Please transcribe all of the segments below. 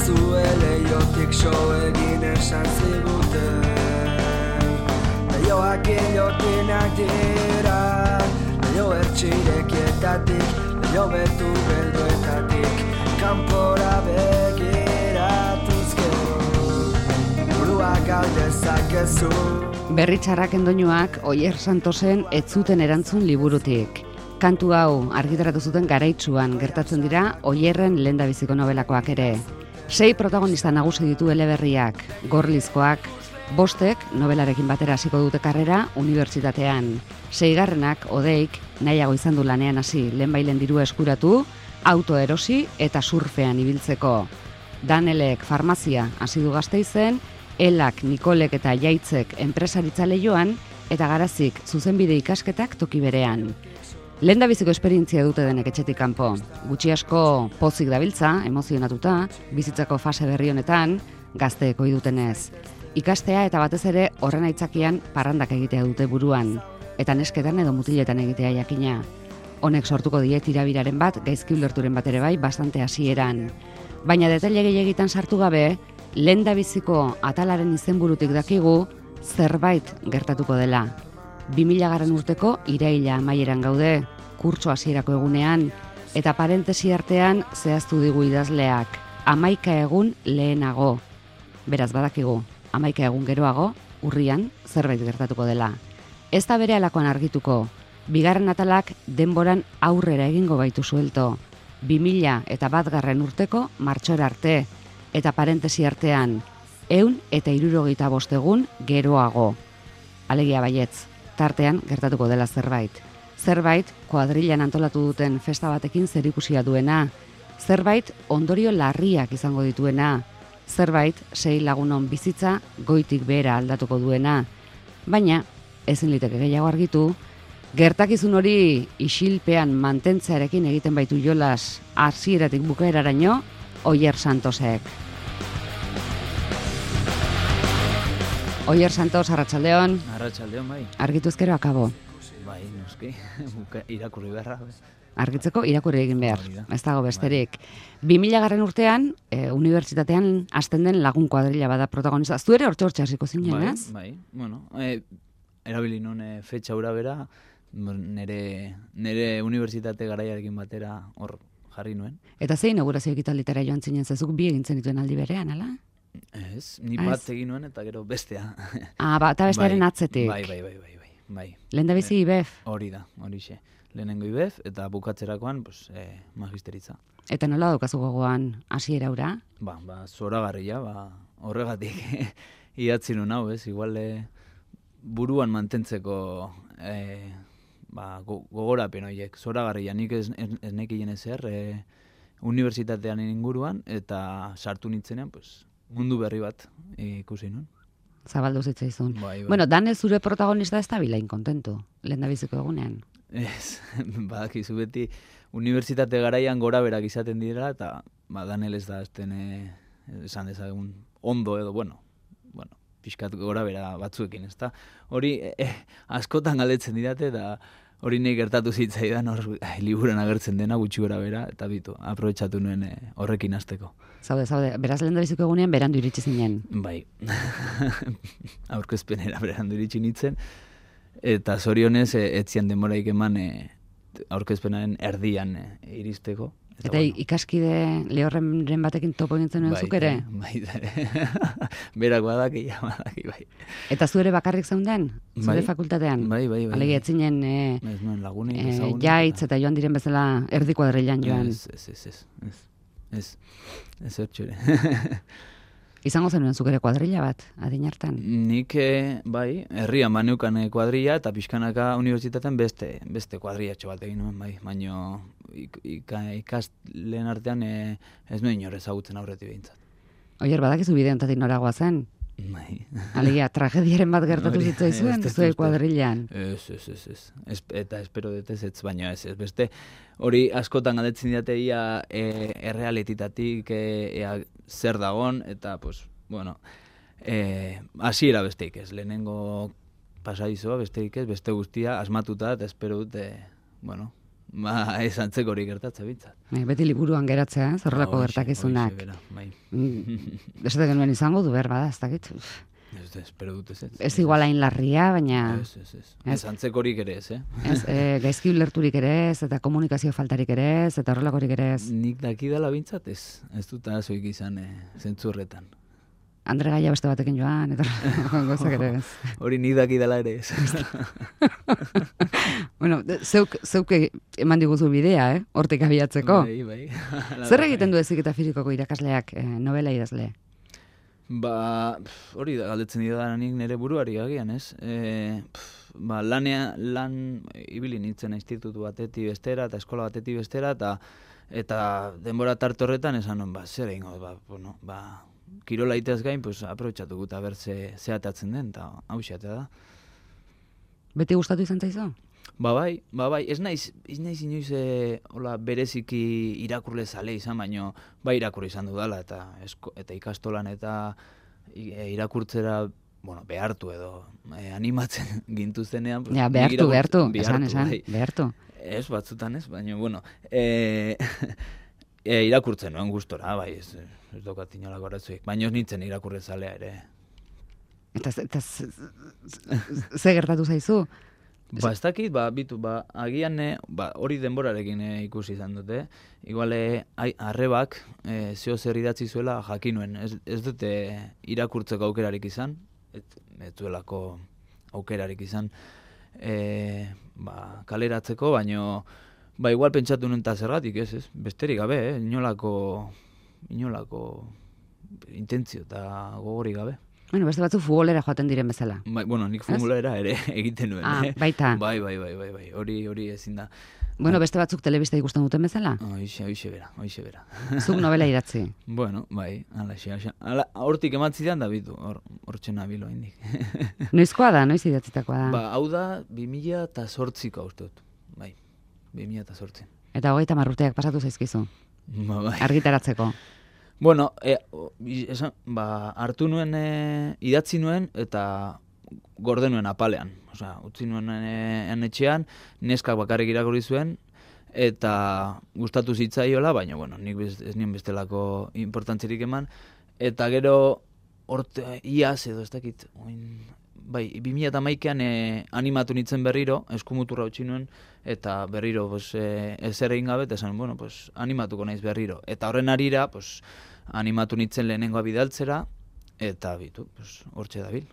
bazue leiotik so egin esan ziguten. Leioak ilotinak dira, leio ertxirekietatik, leio betu belduetatik, kanpora begiratuz gero, burua galdezakezu. Berri txarraken doinuak Oier Santosen ez zuten erantzun liburutik. Kantu hau argitaratu zuten Garaitsuan gertatzen dira Oierren lehendabiziko nobelakoak ere. 6 protagonista nagusi ditu eleberriak, Gorlizkoak, 5 nobelarekin batera hasiko dute karrera unibertsitatean. 6. Odeik nahiago izan du lanean hasi, lehenbailen dirua eskuratu, auto erosi eta surfean ibiltzeko. Danelek farmazia hasi du Gasteizen, Elak, Nikolek eta Jaitzek enpresaritza leioan eta Garazik zuzenbide ikasketak toki berean. Lehendabiziko esperientzia dute denek etxetik kanpo. Gutxi asko pozik dabiltza, emozionatuta, bizitzako fase berri honetan, gazteek ohi dutenez. Ikastea eta batez ere horren aitzakian parrandak egitea dute buruan, eta nesketan edo mutiletan egitea jakina. Honek sortuko die tirabiraren bat, gaizki ulerturen bat ere bai, bastante hasieran. Baina detaile gehiegitan sartu gabe, lehendabiziko atalaren izenburutik dakigu zerbait gertatuko dela. 2000 urteko iraila amaieran gaude, kurtso hasierako egunean, eta parentesi artean zehaztu digu idazleak, 11 egun lehenago. Beraz badakigu, 11 egun geroago, urrian zerbait gertatuko dela. Ez da berehalakoan argituko, 2. atalak denboran aurrera egingo baitu suelto. 2001 urteko martxora arte, eta parentesi artean 165 egun geroago. Alegia baietz, tartean gertatuko dela zerbait. Zerbait kuadrilan antolatu duten festa batekin zerikusia duena. Zerbait ondorio larriak izango dituena. Zerbait 6 lagunon bizitza goitik behera aldatuko duena. Baina, ezin liteke gehiago argitu, gertakizun hori isilpean mantentzearekin egiten baitu jolas hasieratik bukaeraraino Oier Santosek. Oier Santos, arratsaldeon. Arratsaldeon, bai. Argitu ezkero akabo. Bai, noski, irakurri beharra. Argitzeko irakurri egin behar, ez dago besterik. 2000 urtean, unibertsitatean hasten den lagun kuadrilla bada protagonista. Zu ere hortxe hasiko zinen, ez? Bai, bueno, erabili nun fetxa hura bera, nire unibertsitate garaiarekin batera hor jarri nuen. Eta zein inaugurazio ekitalditara joan zinen, zezuk bi egin zenituen aldi berean, ala? Ez, ni bat egin nuen eta gero bestea. Eta bestearen atzetik. Bai. Lehendabizi IBEF? Hori da, horixe. Lehenengo IBEF eta bukatzerakoan magisteritza. Eta nola daukazu gogoan hasiera hura? Zoragarria, horregatik idatzi nun hau, ez? Igual buruan mantentzeko gogorapen horiek, zoragarria. Nik ez nekien ezer unibertsitatean inguruan eta sartu nintzenean, mundu berri bat ikusi nun. Zabaldu zitzaizun. Bai. Bueno, Dane zure protagonista ez da bilain kontentu, lehendabiziko egunean. Ez, badakizu beti unibertsitate garaian gora berak izaten dira eta Daniel ez da esan dezagun ondo edo, pixkat gora bera batzuekin, ezta? Hori askotan galdetzen didate eta hori nahi gertatu zitzaidan liburuan agertzen dena gutxi gora bera eta aprobetxatu nuen horrekin hasteko. Zaude, beraz lehendabiziko egunean berandu iritsi zinen. Bai, aurkezpenera berandu iritsi nintzen, eta zorionez etzian denboraik eman aurkezpenaren erdian iristeko. Eta ikaskide lehorren batekin topo egintzen nuen zuk ere? Bai, berak badaki, bai. Eta zu ere bakarrik zeunden? Zure fakultatean? Bai. Alegia etzinen ez nuen lagunik, ezagunik. Jaitz eta joan diren bezala erdi kuadrilan joan. Ez ertxure. Izango zenuen zuk ere kuadrilla bat, adin hartan? Nik, bai, herrian baneukan kuadrilla eta pixkanaka unibertsitatean beste kuadrillatxo bat egin nuen, bai. Baina ikasleen artean ez nuen inor ezagutzen aurretik behintzat. Oier, badakizu bide honetatik noragoa zen? Bai. Alegia, tragediaren bat gertatu zitzaizuen, zuen kuadrillan? Ez. Eta espero detez ez, baina ez. Beste hori askotan galdetzen didate ia errealititatik zer dagon, eta, hasiera besteik ez. Lehenengo pasadizoa besteik ez, beste guztia asmatuta, eta espero dut, ez antzeko hori gertatzen bintzat. Beti liburuan geratzea, horrelako gertakizunak. Esate genuen izango du behar bada, ez dakit. Espero dut ez. Ez igual hain larria, baina... Ez antzeko horik ere ez, gaizki ulerturik ere ez, eta komunikazio faltarik ere ez, eta horrelakorik ere ez. Nik dakidala bintzat ez dut arazoik izan zentzu horretan. Andre Gaia beste batekin joan, eta gozak ere ez. Hori nik dakidala ere ez. Bueno, zeuk eman diguzu bidea, hortik abiatzeko. Bai. Zer egiten du Heziketa Fisikoko irakasleak novela idazle? Hori da, galdetzen dira nik nire buruari agian, ez? Lan ibili nintzen institutu batetik bestera, eta eskola batetik bestera, eta denbora tarte horretan esan non, zer egingo, kirola iteaz gain, aprobetxatuko eta berze zeatatzen den, eta hau xeatea da. Beti gustatu izan zaizu? Bai, ez naiz inoiz bereziki irakurle zale izan, baino irakurri izan dudala, eta ikastolan eta irakurtzera, behartu edo animatzen gintuztenean. Ja, behartu, esan, behartu. Ez, batzutan ez, baina, irakurtzen nuen gustora, ez daukat inolako arazoik, baina ez nintzen irakurle zalea ere. Eta ze gertatu zaizu? Ez dakit, agian hori denborarekin ikusi izan dute. Igual arrebak zeo zer idatzi zuela jakinuen. Ez dute irakurtzeko aukerarik izan, ez duelako aukerarik izan kaleratzeko, baino igual pentsatu nuen eta zergatik, ez? Besterik gabe, inolako intentzio eta gogorik gabe. Bueno, beste batzu futbolera joaten diren bezala. Nik futbolera ere egiten nuen. Baita. Bai, hori ezin da. Bueno, beste batzuk telebista ikusten duten bezala? Hoixe bera. Zuk novela idatzi? Bueno, bai, hortik ematzidean da bitu, hortxe nabilo indik. Noizkoa da, noiz idatzitakoa da? Hau da, 2008ko uste dut. Bai, 2008. Eta 30 urteak pasatu zaizkizu? Bai. Argitaratzeko? Bueno, hartu nuen, idatzi nuen, eta gorde nuen apalean. Utzi nuen etxean, neskak bakarrik irakurri zuen, eta gustatu zitzaiola, baina, nik ez nien bestelako importantzerik eman. Eta gero, iaz edo, ez dakit, 2011an animatu nintzen berriro, eskumuturra utzi nuen, eta berriro ezer egin gabe, eta esan, animatuko naiz berriro. Eta horren arira, animatu nintzen lehenengoa bidaltzera, eta hortxe dabil.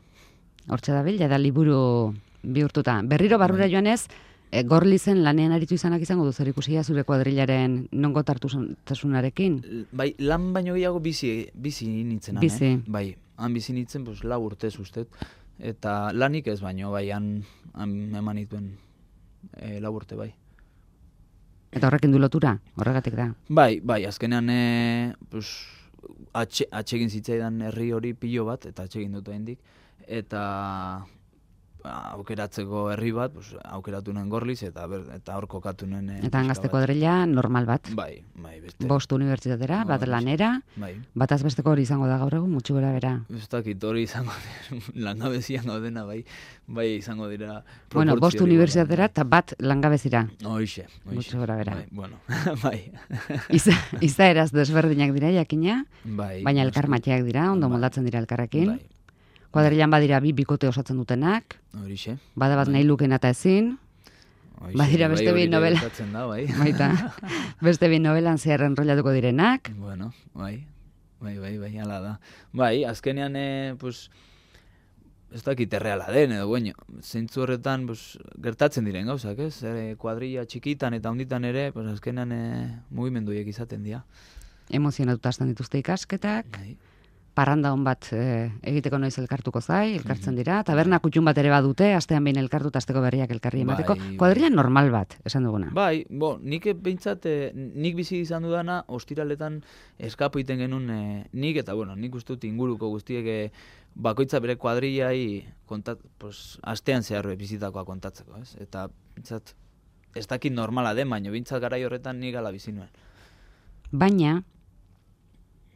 Hortxe dabil, jada liburu bihurtuta. Berriro barrura joanez, Gorlizen lanean aritu izanak izango du zer ikusia zure kuadrilaren nongo tartasunarekin? Bai, lan baino gehiago bizi nintzen. Bizi. Bai, han bizi nintzen 4 urtez ustet. Eta lanik ez baino, han eman dituen 4 urte, bai. Eta horrekin du lotura, horregatik da? Bai, azkenean atsegin zitzaidan herri hori pilo bat, eta atsegin dut hendik, eta aukeratzeko herri bat, aukeratu nuen Gorliz, eta hor kokatu nuen... Eta Angazte kuadrilla normal bat? Bai, beste. 5 unibertsitatera, bat lanera, bataz besteko hori izango da gaur egun, mutxu gora bera. Ez dakit hori izango dira, langabezian gaudena, bai izango dira... Bueno, 5 unibertsitatera eta bat langabezira. Hoixe. Mutxu gora bera. Bai. Izaeraz desberdinak dira, jakina, baina elkarmatiak dira, ondo moldatzen dira elkarrekin. Kuadrilan badira 2 bikote osatzen dutenak. Horixe. Bada bat nahi lukena eta ezin. Badira beste 2 novela. Baita. Beste 2 novelan zehar enrollatuko direnak. Bueno, bai, hala da. Bai, azkenean, ez dakit erreala den, edo, zeintzu horretan gertatzen diren gauzak, ez? Kuadrilla txikitan eta honditan ere, azkenean mugimenduiek izaten dira. Emozionatuta hasten dituzte ikasketak. Bai. Parranda hon bat egiteko noiz elkartuko elkartzen dira. Taberna kutxun bat ere badute, astean behin elkartuta asteko berriak elkarri emateko. Kuadrilla normal bat, esan duguna. Bai, nik behintzat, nik bizi izan dudana, ostiraletan eskapo iten genuen nik, eta nik uste dut inguruko guztiek bakoitza bere kuadrillai astean zehar bizitakoa kontatzeko, ez? Eta behintzat, ez dakit normala den, baina behintzat garai horretan nik ala bizi nuen.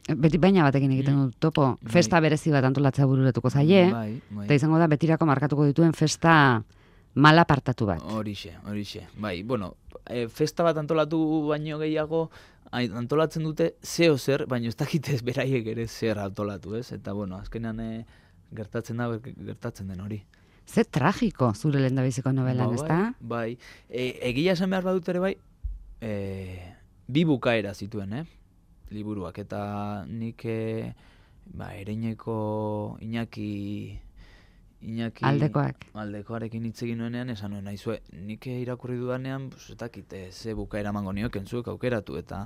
Beti baina batekin egiten dut topo, festa berezi bat antolatzea bururatuko zaie, eta izango da betirako markatuko dituen festa Mala partatu bat. Horixe. Bai, bueno, festa bat antolatu baino gehiago, antolatzen dute zeo zer, baina ez dakitez beraiek ere zer antolatu, ez? Eta, bueno, azkenean gertatzen den hori. Ze tragiko zure lehendabiziko novelan, ezta? Bai, egia esan behar badut ere bai, bi bukaera zituen, liburuak, eta nik Ereineko Iñaki aldekoarekin hitz egin nuenean, esan nuen naizue, nik irakurri dudanean, ez dakit, ze bukaera emango nioken zuek aukeratu, eta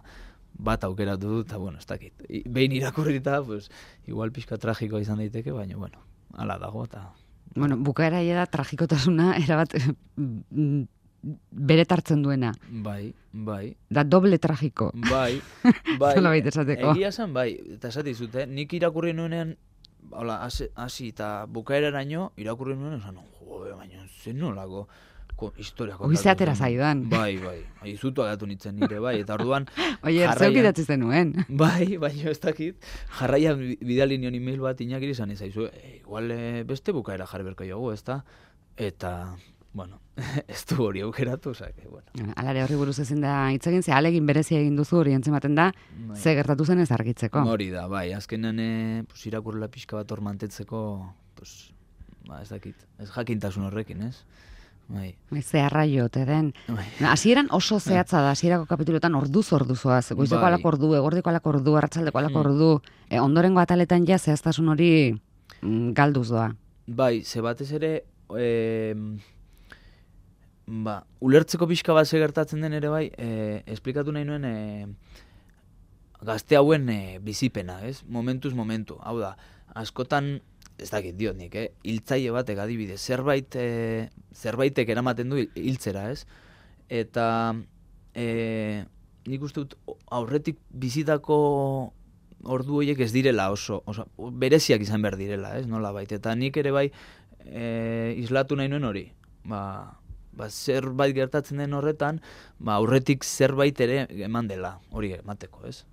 bat aukeratu dut, eta bueno, ez dakit. Behin irakurrita, pues, igual pixka tragikoa izan daiteke, baina, bueno, hala dago, eta... Bueno, bukaera da tragikotasuna, erabat bere tartzen duena. Bai. Da doble tragiko. Bai. Zolabait esateko. Egia esan, bai, eta esatizut, nik irakurri nuenean, hola, hasi eta bukaeraraino irakurri nuen, esan, baina zen nolako historia kontatu. Oize atera zaidan. Bai, izutu agatu nintzen nire, bai, eta orduan... Oie, zeuk idatzi zenuen. Bai, baina ez dakit, jarraian bidali nion email bat Iñakiri izan izaizu, igual beste bukaera jarri berko jogu, ezta? Eta, bueno, ez du hori aukeratu, osake, bueno. Alare horri buruz ezin da hitz egin, ze alegin berezia egin duzu hori entzematen da, ze gertatu zen ez argitzeko. Hori da, bai, azkenean irakurrela pixka bat hor mantetzeko, ez dakit, ez jakintasun horrekin, ez? Bai. Ze arraio, te den. Hasieran oso zehatza da, hasierako kapitulotan orduzoaz, goizeko alako ordu, egordeko alako ordu, arratsaldeko alako ordu, ondorengo ataletan ja zehaztasun hori galduz doa. Bai, ze batez ere, ulertzeko pixka bat gertatzen den ere bai, esplikatu nahi nuen gazte hauen bizipena, ez? Momentuz momentu, hau da, askotan, ez dakit diot nik, hiltzaile batek adibidez, zerbaitek eramaten du hiltzera, ez? Eta nik uste dut aurretik bizitako ordu horiek ez direla oso bereziak izan behar direla, ez? Nola baita, eta nik ere bai islatu nahi nuen hori, zerbait gertatzen den horretan, aurretik zerbait ere eman dela, hori emateko, ez?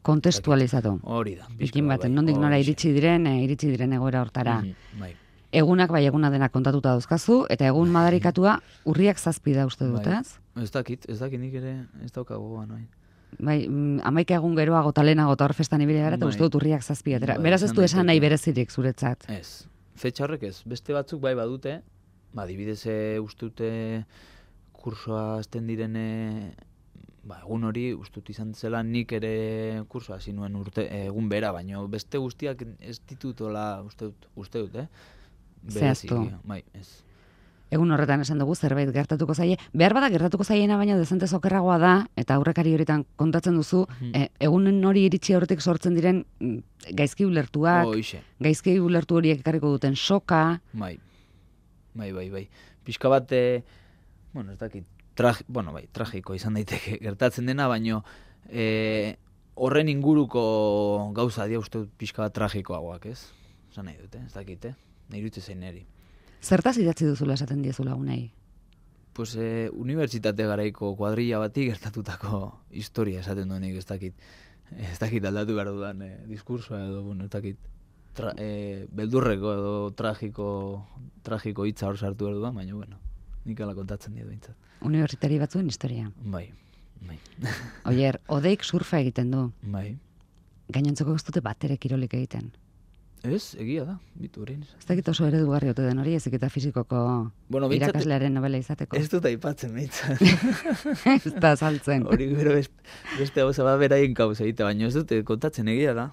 Kontestualizatu. Hori da. Bikin baten, nondik nora iritsi diren egoera hortara. Egunak bai eguna dena kontatuta dauzkazu, eta egun madarikatua urriak 7 da uste dut, ez? Ez dakit nik ere ez daukago goan, bai. Bai, 11 egun geroago eta lehenago eta hor festan ibili gara, eta uste dut urriak 7 atera. Beraz ez du esan nahi berezirik zuretzat. Ez, fetxa horrek ez. Beste batzuk bai badute, adibidez uste dute kursoa azten direne, egun hori ustut izan zela nik ere kursoa hasi nuen egun bera, baina beste guztiak ez ditutola uste dut, Zehaztu. Bai, ez. Egun horretan esan dugu zerbait gertatuko zaie. Behar bada gertatuko zaiena baina dezente okerragoa da, eta aurrekari horietan kontatzen duzu, egunen hori iritsi horretik sortzen diren gaizki ulertuak, gaizki ulertu horiek ekarriko duten soka. Bai. Pixka bat, ez dakit, tragiko izan daiteke gertatzen dena, baino horren inguruko gauza dia uste pixka bat tragikoagoak, ez? Esan nahi dute, ez dakit, nahi dute zein neri. Zertaz idatzi duzula esaten diezu lagunei? Pues unibertsitate garaiko kuadrilla bati gertatutako historia esaten duenik, ez dakit aldatu behar dudan diskursoa edo, ez dakit, beldurreko edo tragiko hitza hor sartu behar dudan, baina, nik ala kontatzen dira bintzat. Unibertsitari batzuen historia. Bai. Oier, Odeik surfa egiten du. Bai. Gainontzeko ez dute batere kirolik egiten. Ez, egia da, bitu horrein. Ez dakit oso eredugarri ote den hori, ezik eta fizikoko irakaslearen novela izateko. Ez dut aipatzen, behintzat. Ez da saltzen. Hori gero beste hau zaba beraien kauz egite, baina ez dute kontatzen, egia da.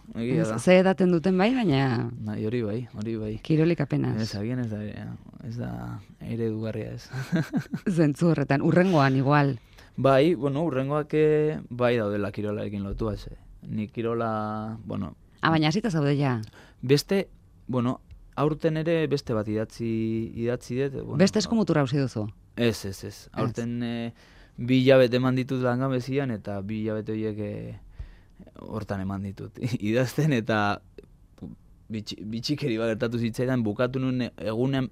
Ze edaten duten bai, baina... Hori bai. Kirolik apenas. Ez, agian ez da eredugarria ez. Zentzu horretan, urrengoan igual. Bai, urrengoak bai daudela kirolarekin lotua, ze. Ni kirola, baina hasita zaude ja. Beste, aurten ere beste bat idatzi dut. Beste eskumutura hausi duzu? Ez. Aurten 2 hilabete eman ditut langabezian eta 2 hilabete horiek hortan eman ditut. Idazten eta bitxikeri bat gertatu zitzaidan bukatu nuen egunean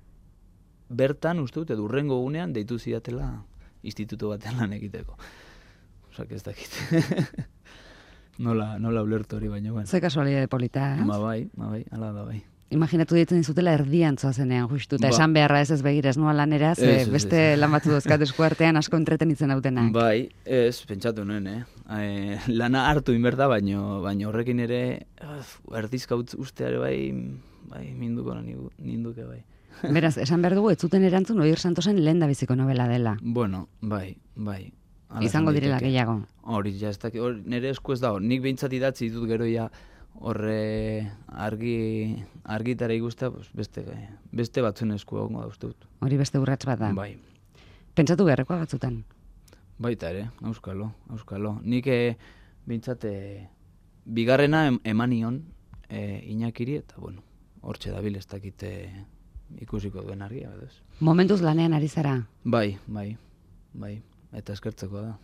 bertan, uste dut, edurrengo egunean deitu zidatela instituto batean lan egiteko. Osak ez dakit. Nola ulertu hori baina, Ze kasualidade polita, ez? Bai, ala da bai. Imaginatu ditzen dizutela erdian zoazenean, justu, eta Ba. esan beharra ez begira, ez noa lanera, ze Ez, beste lan batzu dozkat esku artean asko entretenitzen dautenak. Bai, ez, pentsatu nuen, lana hartu inberda, baino horrekin ere, erdizka usteare bai, ninduke bai. Beraz, esan behar dugu, ez zuten erantzun Oier Santosen lehendabiziko novela dela. Bueno, bai. Hala Izango esan direla daiteke. gehiago. Hori, ja, ez dakit, nire esku ez dago. Nik behintzat idatzi ditut gero ja horre argitara ikustea, pues, beste batzuen esku egongo da uste dut. Hori beste urrats bat da. Bai. Pentsatu beharrekoa batzutan. Baita ere, auskalo. Nik behintzat bigarrena emanion Iñakiri, eta bueno, hortxe dabil ez dakite ikusiko duen argia, edo ez. Momentuz lanean ari zara, Bai, eta eskertzeko da.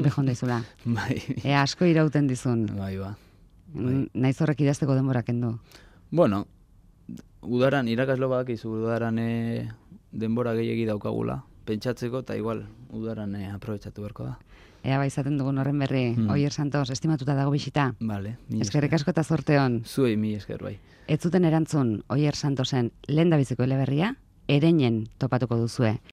bejon daizula. Bai, Ea asko irauten dizun. bai. Naiz horrek idazteko denbora kendu. Bueno, udaran, irakaslo badakizu udaran denbora gehiegi daukagula, pentsatzeko, eta igual udaran aprobetxatu beharko da. Ea bai izaten dugun horren berri, Oier Santos, estimatuta dago bisita. Vale, Eskerrik asko eta zorte hon. Zuei mi esker bai. Ez zuten erantzun Oier Santosen lehendabiziko eleberria, Ereinen topatuko duzue.